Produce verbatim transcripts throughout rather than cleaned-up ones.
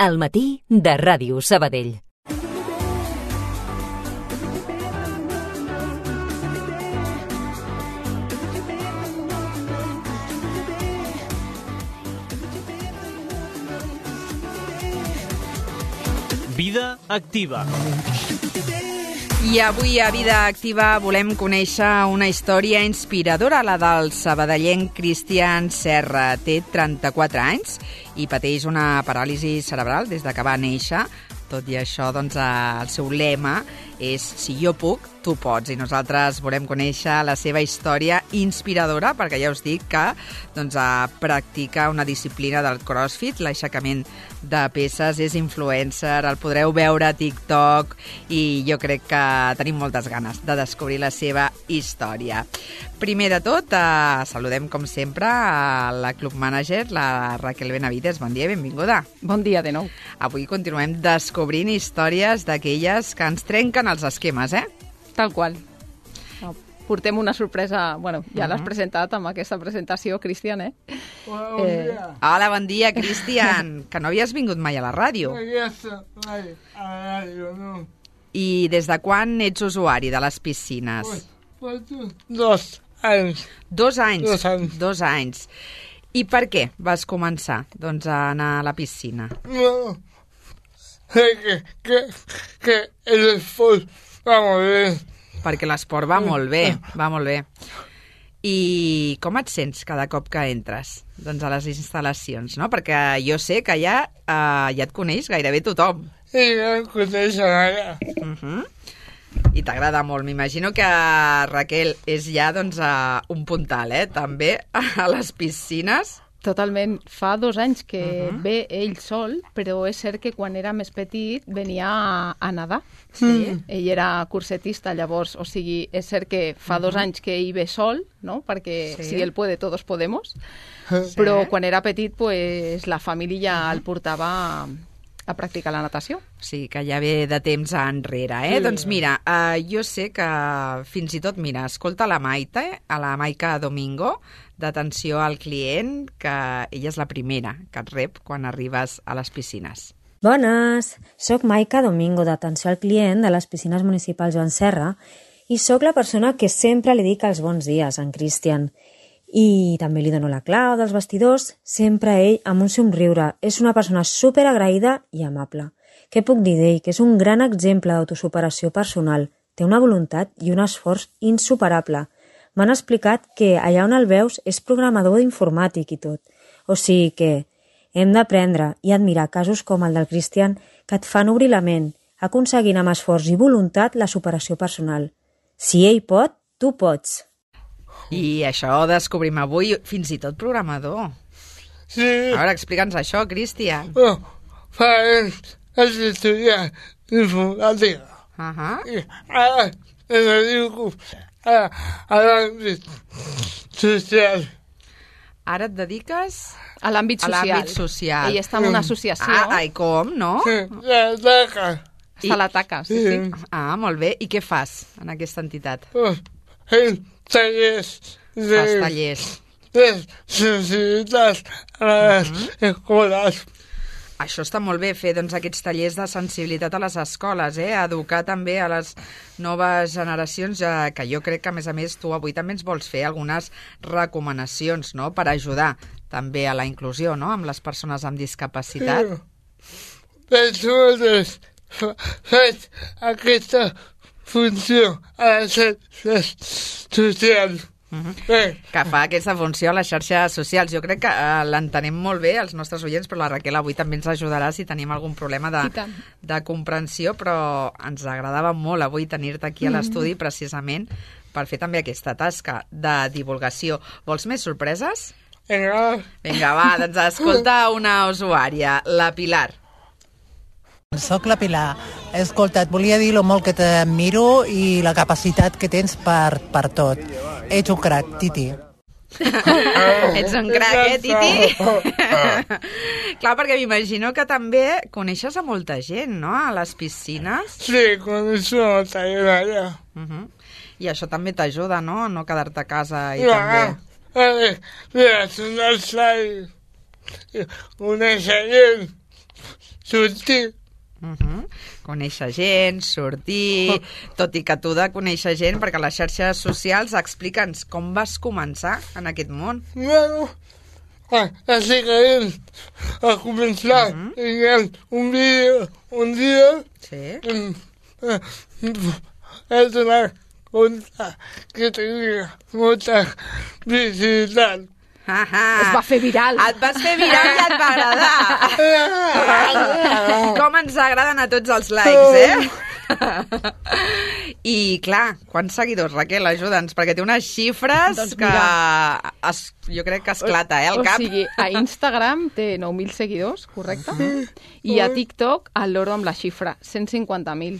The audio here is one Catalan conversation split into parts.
Al matí de Ràdio Sabadell. Vida Activa. I avui a Vida Activa volem conèixer una història inspiradora, la del sabadellenc Cristian Serra. Té trenta-quatre anys i pateix una paràlisi cerebral des de que va néixer. Tot i això, doncs, el seu lema és «Si jo puc, tu pots». I nosaltres volem conèixer la seva història inspiradora, perquè ja us dic que doncs, practica una disciplina del CrossFit, l'aixecament de peses, és influencer, el podreu veure a TikTok i jo crec que tenim moltes ganes de descobrir la seva història. Primer de tot, eh, saludem com sempre a la club manager, la Raquel Benavides. Bon dia i benvinguda. Bon dia de nou. Avui continuem descobrint històries d'aquelles que ens trenquen els esquemes, eh? Tal qual. Portem una sorpresa, bueno, ja Uh-huh. l'has presentat amb aquesta presentació, Cristian, eh? Hola, bon Eh, dia. Hola, bon dia, Cristian, que no havies vingut mai a la ràdio. Aquesta, mai, a la ràdio, no. I des de quan ets usuari de les piscines? Pues, pues, dos anys. Dos anys. Dos anys. Dos anys. I per què vas començar doncs, a anar a la piscina? No, sé que, que, que el esport va molt bé. Perquè l'esport va molt bé, va molt bé. I com et sents cada cop que entres doncs, a les instal·lacions, no? Perquè jo sé que ja, eh, ja et coneix gairebé tothom. I ja em coneixen ara. Uh-huh. I t'agrada molt. M'imagino que Raquel és ja doncs, uh, un puntal, eh? També a les piscines. Totalment. Fa dos anys que Uh-huh. ve ell sol, però és cert que quan era més petit venia a, a nedar. Sí. Ell era cursetista, llavors, o sigui, és cert que fa dos anys que ell ve sol, no? Perquè Sí. si ell puede, todos podemos. Sí. Però quan era petit, pues, la família el portava a, a practicar la natació. Sí, que ja ve de temps enrere, eh? Sí. Doncs mira, uh, jo sé que fins i tot, mira, escolta la Maite, a la Maica Domingo, d'atenció al client, que ella és la primera que et rep quan arribes a les piscines. Bones! Soc Maica Domingo, d'atenció al client de les piscines municipals Joan Serra, i sóc la persona que sempre li dic els bons dies a en Cristian. I també li dono la clau dels vestidors, sempre ell amb un somriure. És una persona superagraïda i amable. Què puc dir d'ell? Que és un gran exemple d'autosuperació personal. Té una voluntat i un esforç insuperable. M'han explicat que allà on el veus és programador d'informàtic i tot. O sigui que hem d'aprendre i admirar casos com el del Cristian que et fan obrir la ment, aconseguint amb esforç i voluntat la superació personal. Si ell pot, tu pots. I això ho descobrim avui, fins i tot programador. Sí, A veure, explica'ns això, Cristian. bueno, fa anys vaig estudiar informàtica. Uh-huh. I ara me dedico a, a l'àmbit social. Ara et dediques A l'àmbit a social. l'àmbit social. Ell està en una associació. Ah, ai, com, no? Sí, la taca. Està a la taca, sí, sí. Ah, molt bé. I què fas en aquesta entitat? Pues, fent tallers de, Fas tallers. de sensibilitat a les escoles. Això està molt bé, fer doncs, aquests tallers de sensibilitat a les escoles, eh? Educar també a les noves generacions, eh, que jo crec que, a més a més, tu avui també ens vols fer algunes recomanacions, no?, per ajudar també a la inclusió, no?, amb les persones amb discapacitat. Persones faig aquesta funció a les xarxes socials. Uh-huh. Bé, Que fa aquesta funció a les xarxes socials. Jo crec que eh, l'entenem molt bé, els nostres oients, però la Raquel avui també ens ajudarà si tenim algun problema de, I tant. de comprensió, però ens agradava molt avui tenir-te aquí a l'estudi precisament per fer també aquesta tasca de divulgació. Vols més sorpreses? vinga, Vinga, va, doncs escolta una usuària, la Pilar. Soc la Pilar. Escolta, et volia dir lo molt que t'admiro i la capacitat que tens per, per tot. Ets un crac, Titi. Ets un crac, eh, Titi? Clar, perquè m'imagino que també coneixes a molta gent, no?, a les piscines. sí, coneixo a la tallera. Uh-huh. I això també t'ajuda, no?, a no quedar-te a casa i Ja, també... eh, mira, són els salls. Conèixer gent sortir. Uh -huh. Conèixer gent, sortir... Tot i que tu de conèixer gent, perquè les xarxes socials, explica'ns com vas començar en aquest món. Bueno, així que ell a començar uh -huh. un vídeo un dia sí. he donat compte que tenia molta visibilitat. Ah, Es va fer viral. Et vas fer viral i et va agradar. Com ens agraden a tots els likes, eh? I, clar, quants seguidors, Raquel? Ajuda'ns, perquè té unes xifres Doncs que es, jo crec que esclata, eh, el o cap. O sigui, a Instagram té nou mil seguidors, correcte? I a TikTok, al loro amb la xifra, cent cinquanta mil.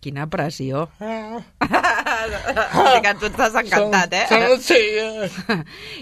Quina pressió. Que tu estàs encantat, eh? Sí.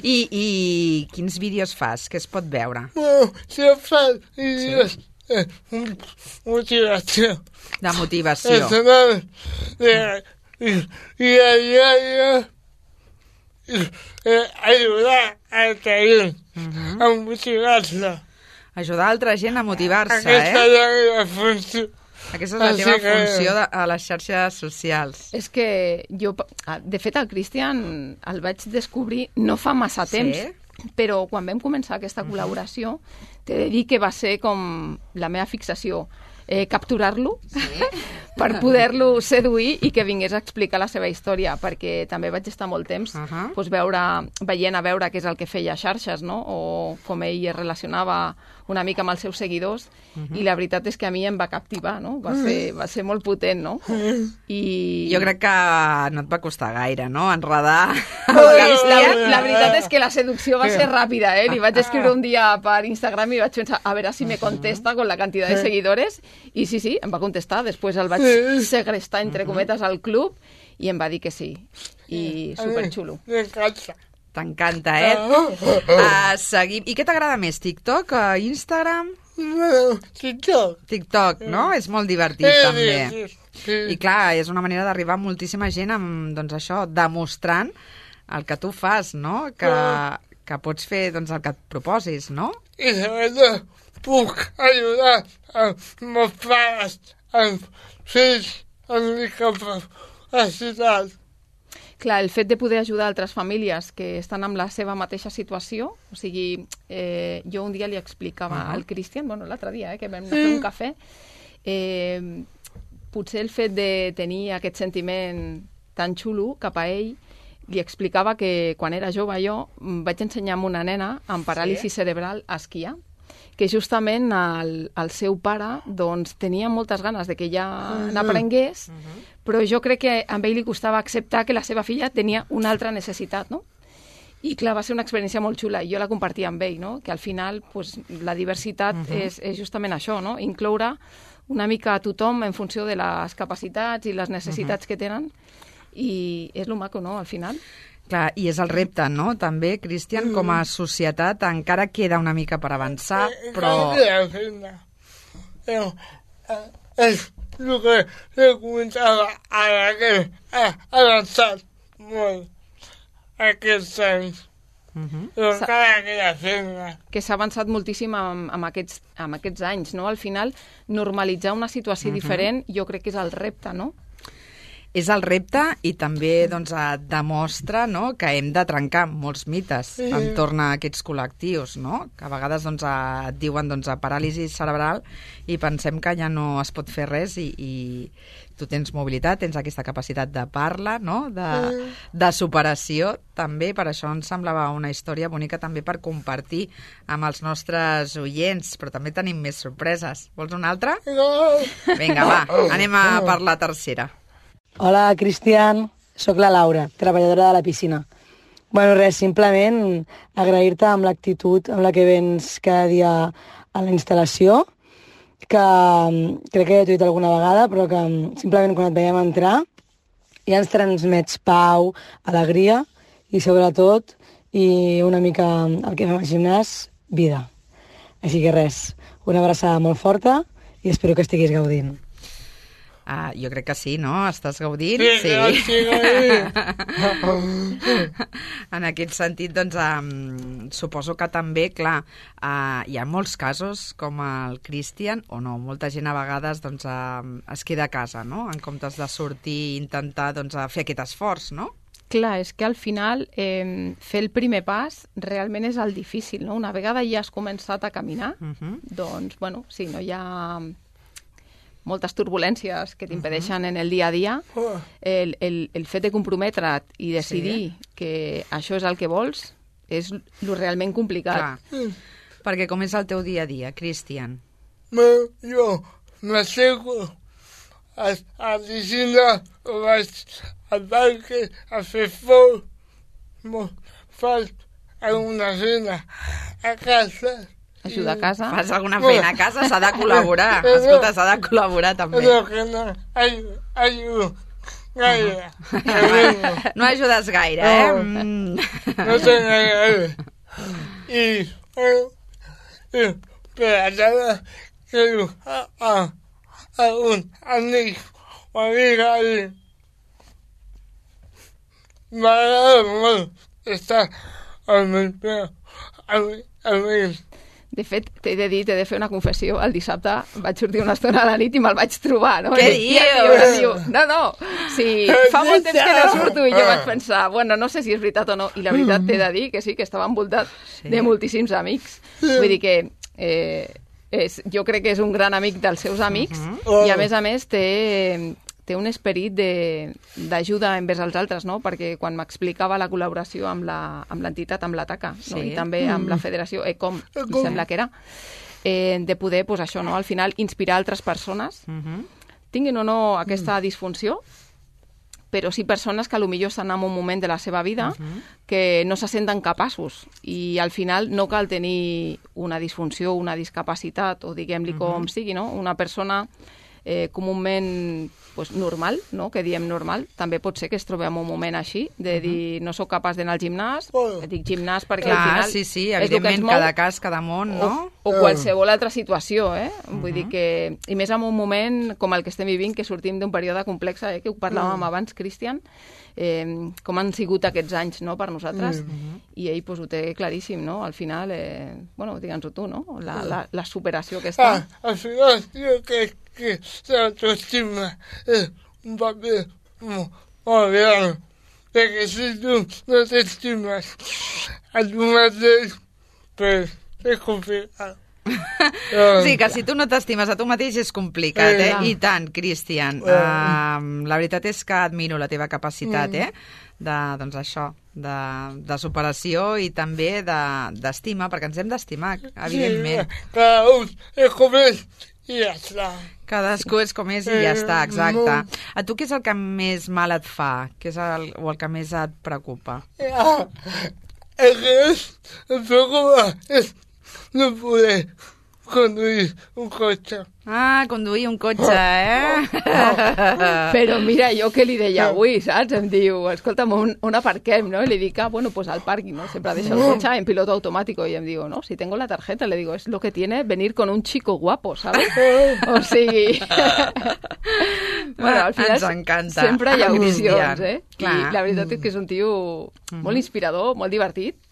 I, I quins vídeos fas? Què es pot veure? Bueno, si em fan vídeos de motivació. De motivació. I a ajudar a altra gent a motivar-se. Ajudar altra gent a motivar-se, Aquesta eh? és la meva funció. Aquesta és la teva funció de, a les xarxes socials. És que jo, de fet, el Cristian el vaig descobrir no fa massa temps, Sí? però quan vam començar aquesta col·laboració, t'he de dir que va ser com la meva fixació. Eh, capturar-lo sí? per poder-lo seduir i que vingués a explicar la seva història, perquè també vaig estar molt temps Uh -huh. doncs, veure, veient a veure què és el que feia a xarxes, no? O com ell es relacionava una mica amb els seus seguidors, uh -huh. i la veritat és que a mi em va captivar, no? Va ser, va ser molt potent, no? I... Jo crec que no et va costar gaire, no?, enredar el La, Cristian. la veritat és que la seducció va ser ràpida, eh? Li vaig escriure un dia per Instagram i vaig pensar, a veure si me contesta con la cantidad de seguidores, i sí, sí, em va contestar. Després el vaig segrestar, entre cometes, al club, i em va dir que sí. I superxulo. M'encanta. T'encanta, eh? Uh, seguim. I què t'agrada més, TikTok, uh, Instagram? Bueno, TikTok. TikTok, no? És molt divertit, Sí, també. sí, sí. I clar, és una manera d'arribar a moltíssima gent amb, doncs això, demostrant el que tu fas, no? Que, que pots fer, doncs, el que et proposis, no? I sobretot puc ajudar els meus pares, els fills, amb discapacitat. Clar, el fet de poder ajudar altres famílies que estan amb la seva mateixa situació, o sigui, eh, jo un dia li explicava uh -huh. al Cristian, bueno, l'altre dia, eh, que vam anar a fer un cafè, eh, potser el fet de tenir aquest sentiment tan xulo cap a ell, li explicava que quan era jove jo vaig ensenyar a una nena amb paràlisi sí? cerebral a esquiar, que justament el, el seu pare doncs, tenia moltes ganes de que ella uh -huh. n'aprengués, uh -huh. però jo crec que a ell li costava acceptar que la seva filla tenia una altra necessitat, no? I clar, va ser una experiència molt xula i jo la compartia amb ell, no? Que al final pues, la diversitat uh -huh. és, és justament això, no? Incloure una mica a tothom en funció de les capacitats i les necessitats uh -huh. que tenen, i és lo maco, no?, al final. Clar, i és el repte, no?, també, Cristian, com a societat encara queda una mica per avançar, però... És el que he comentava ara, que ha avançat molt aquests anys. Uh-huh. Però encara queda feina. Que s'ha avançat moltíssim amb, amb, aquests, amb aquests anys, no? Al final, normalitzar una situació uh-huh. diferent jo crec que és el repte, no? És el repte i també doncs, demostra, no?, que hem de trencar molts mites sí. entorn a aquests col·lectius, no?, que a vegades doncs, et diuen doncs, a paràlisi cerebral i pensem que ja no es pot fer res i, i tu tens mobilitat, tens aquesta capacitat de parla, no?, de, de superació també, per això ens semblava una història bonica també per compartir amb els nostres oients, però també tenim més sorpreses. Vols una altra? No. Vinga, va, anem a per la tercera. Hola, Cristian. Soc la Laura, treballadora de la piscina. Bueno, res, simplement agrair-te amb l'actitud amb la que vens cada dia a la instal·lació, que crec que ja t'ho he dit alguna vegada, però que simplement quan et veiem entrar ja ens transmets pau, alegria i sobretot, i una mica el que fem al gimnàs, vida. Així que res, una abraçada molt forta i espero que estiguis gaudint. Uh, jo crec que sí, no? Estàs gaudint? Sí, sí, gaudint. En aquest sentit, doncs, um, suposo que també, clar, uh, hi ha molts casos com el Cristian, o no, molta gent a vegades doncs, uh, es queda a casa, no? En comptes de sortir i intentar doncs, fer aquest esforç, no? Clar, és que al final eh, fer el primer pas realment és el difícil, no? Una vegada ja has començat a caminar, uh-huh. doncs, bueno, sí, no hi ha moltes turbulències que t'impedeixen uh-huh. en el dia a dia, el, el, el fet de comprometre't i decidir sí. que això és el que vols és lo realment complicat. Clar. Mm. Perquè com és el teu dia a dia, Cristian? Jo m'aixeco a la piscina, vaig al parc a fer foc, faig alguna cena a casa. Ajuda a casa. Fas alguna feina a casa, s'ha de col·laborar. Escolta, s'ha de col·laborar també. No, que no, ajudo gaire. No ajudes gaire, eh? Mm. No sé gaire. I, i per allà que diu a, a, a un amic o amiga i m'agrada molt estar al meu peu, al meu. De fet, t'he de dir, t'he de fer una confessió. El dissabte vaig sortir una estona a la nit i me'l vaig trobar, no? Què I, dius? I diu, no, no, sí, fa molt temps que no surto. I jo vaig pensar, bueno, no sé si és veritat o no. I la veritat t'he de dir que sí, que estava envoltat sí. de moltíssims amics. Vull dir que eh, és, jo crec que és un gran amic dels seus amics uh-huh. i, a més a més, té... té un esperit d'ajuda envers els altres, no? Perquè quan m'explicava la col·laboració amb l'entitat, amb l'Ataca, no? Sí. I també amb la federació ECOM, em sembla que era, eh, de poder, pues, això, no? Al final, inspirar altres persones, uh-huh. tinguin o no aquesta disfunció, però sí persones que potser estan en un moment de la seva vida uh-huh. que no se senten capaços i al final no cal tenir una disfunció, una discapacitat o diguem-li uh-huh. com sigui, no? Una persona eh, comúment pues, normal, no? Que diem normal, també pot ser que es trobi en un moment així, de dir no sóc capaç d'anar al gimnàs, oh. dic gimnàs perquè Clar, al final sí, sí, és el que ens evidentment, mou, cada cas, cada món, no? o, o qualsevol altra situació, eh? Uh-huh. Vull dir que, i més en un moment com el que estem vivint, que sortim d'un període complex, eh? Que ho parlàvem uh-huh. abans, Cristian, eh, com han sigut aquests anys, no?, per nosaltres, uh-huh. i ell pues, ho té claríssim, no? Al final, eh, bueno, digue'ns-ho tu, no? La, la, la superació que està. Ah, al final, jo crec que l'autoestima és un paper molt, molt gran, perquè si tu no t'estimes a tu mateix, pues és complicat. Sí, que si tu no t'estimes a tu mateix és complicat, eh? I tant, Cristian. Uh, la veritat és que admiro la teva capacitat, eh? De, doncs això, de, de superació i també d'estima, perquè ens hem d'estimar, evidentment. Sí, cada un és com és i ja està. Cadascú és com és i ja està, exacte. A tu què és el que més mal et fa? Què és el, o el que més et preocupa? Ja, el que és, em preocupa és no poder conduir un cotxe. Ah, conduir un cotxe, eh? Però mira, jo què li deia avui, saps? Em diu, escolta'm, on, on aparquem, no? I li dic, ah, bueno, pues al pàrquing, ¿no? Sempre deixo el cotxe en piloto automático. Y em diu, no, si tengo la tarjeta, le digo, es lo que tiene venir con un chico guapo, ¿sabes? O sigui... bueno, al final ens encanta. Sempre hi ha opcions, eh? Clar. I la veritat és que és un tio molt inspirador, molt divertit,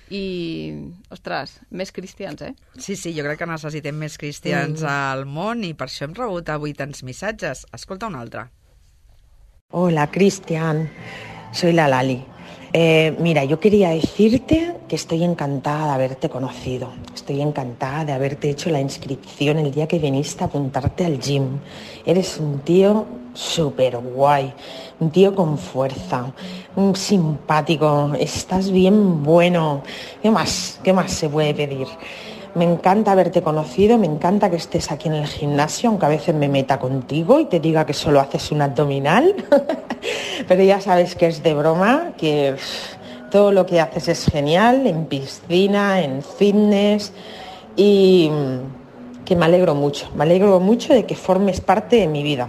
i, ostres, més cristians, eh? Sí, sí, jo crec que necessitem més cristians mm. al món i per això hem rebut avui tants missatges. Escolta un altre. Hola, Cristian. Soy la Lali. Eh, mira, yo quería decirte que estoy encantada de haberte conocido. Estoy encantada de haberte hecho la inscripción el día que viniste a apuntarte al gym. Eres un tío súper guay, un tío con fuerza, un simpático, estás bien bueno. ¿Qué más? ¿Qué más se puede pedir? Me encanta haberte conocido, me encanta que estés aquí en el gimnasio, aunque a veces me meta contigo y te diga que solo haces un abdominal. Pero ya sabes que es de broma, que todo lo que haces es genial, en piscina, en fitness, y que me alegro mucho, me alegro mucho de que formes parte de mi vida.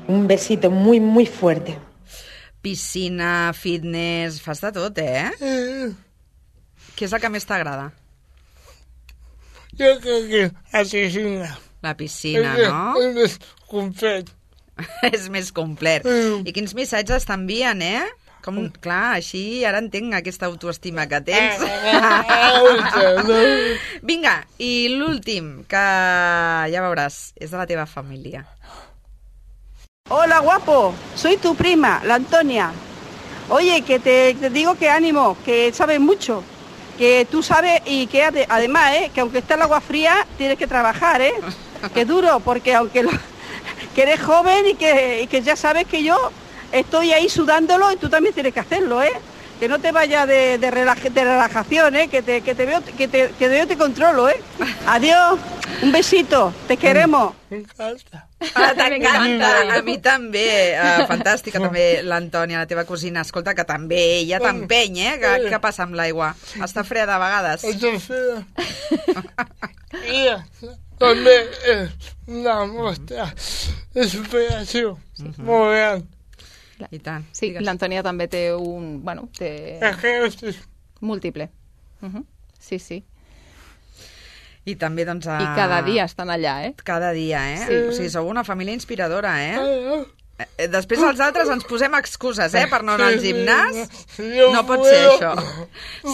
Un besito muy, muy fuerte. Piscina, fitness, fas de tot, eh? Mm. Què és el que més t'agrada? Jo crec que la piscina. La piscina, és, no? És més complet. És més complet. Mm. I quins missatges t'envien, eh? Com, clar, així ara entenc aquesta autoestima que tens. Vinga, i l'últim, que ja veuràs, és de la teva família. Hola, guapo, soy tu prima, la Antonia. Oye, que te, te digo que ánimo, que sabes mucho, que tú sabes y que ade- además, eh, que aunque esté el agua fría, tienes que trabajar, ¿eh? Que duro, porque aunque lo, que eres joven y que, y que ya sabes que yo estoy ahí sudándolo y tú también tienes que hacerlo, ¿eh? Que no te vayas de, de, relaja, de relajación, ¿eh? Que te, que te veo, que te, que te, te controlo, ¿eh? Adiós, un besito, te queremos. M'encanta. Ah, t'encanta, a mi també. Uh, fantàstica també l'Antònia, la teva cosina. Escolta, que també ella t'empeny, eh? Que, què passa amb l'aigua? Està freda a vegades? Està freda. I també és una mostra de superació molt gran. I tant. Sí, l'Antònia també té un... Bueno, té... Múltiple. Uh -huh. Sí, sí. I també, doncs... A... I cada dia estan allà, eh? Cada dia, eh? Sí. O sigui, sou una família inspiradora, eh? Després els altres ens posem excuses, eh? Per no anar al gimnàs. No pot ser això.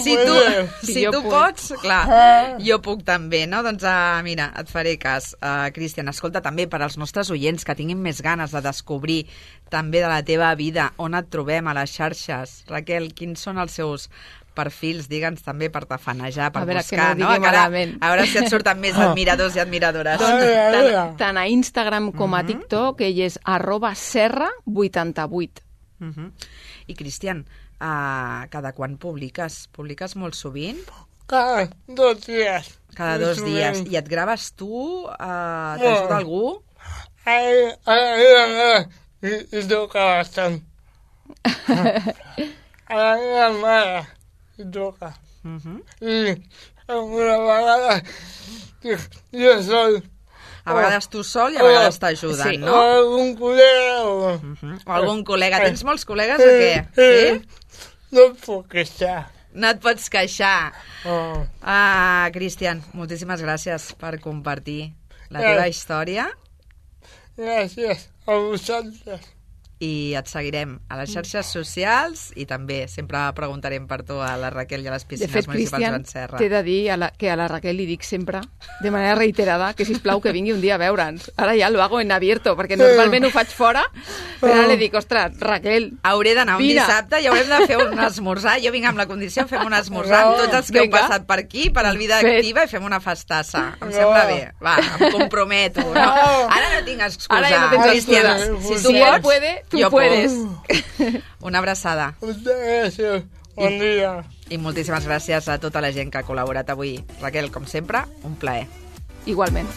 Si tu, si tu pots, clar, jo puc també, no? Doncs uh, mira, et faré cas. Uh, Cristian, escolta, també per als nostres oients que tinguin més ganes de descobrir també de la teva vida, on et trobem a les xarxes. Raquel, quins són els seus perfils, digue'ns també per tafanejar, per a veure, buscar, que no, no? no? Ara, Malament. a veure si et surten més admiradors i admiradores. Doncs tant, tant a Instagram com a TikTok, ell és arroba serra vuitanta-vuit. Uh -huh. I, Cristian, uh, cada quan publiques? Publiques molt sovint? Cada dos dies. Cada dos dies. I et graves tu? Uh, No. T'ajuda algú? Ai, ai, ai, ai, i, i toca bastant. A la meva mare i toca. Uh -huh. I alguna vegada jo sol. A vegades tu sol i a vegades t'ajuden, Sí. no? O algun col·lega o... Uh -huh. O algun col·lega. Tens molts col·legues o què? Sí? No em puc queixar. No et pots queixar. Oh. Ah, Cristian, moltíssimes gràcies per compartir la teva Eh. història. Gràcies a vosaltres. I et seguirem a les xarxes socials i també sempre preguntarem per tu a la Raquel i a les De piscines fet, municipals Cristian, Joan Serra. t'he de dir a la, que a la Raquel li dic sempre, de manera reiterada, que sisplau que vingui un dia a veure'ns. Ara ja lo hago en abierto, perquè normalment ho faig fora, però ara li dic, ostres, Raquel, Hauré d'anar un vine. dissabte i haurem de fer un esmorzar. Jo vinc amb la condició, fem un esmorzar amb tots els que heu Vinga. passat per aquí, per al Vida Fet. Activa, i fem una festassa. Em sembla bé. Va, em comprometo. No? Ara no tinc excusa. Ara ja no tens Cristian, excusa. si tu Si él pots, puede, tú jo puedes. puc. Una abraçada. Moltes gràcies. Bon dia. I moltíssimes gràcies a tota la gent que ha col·laborat avui. Raquel, com sempre, un plaer. igualment.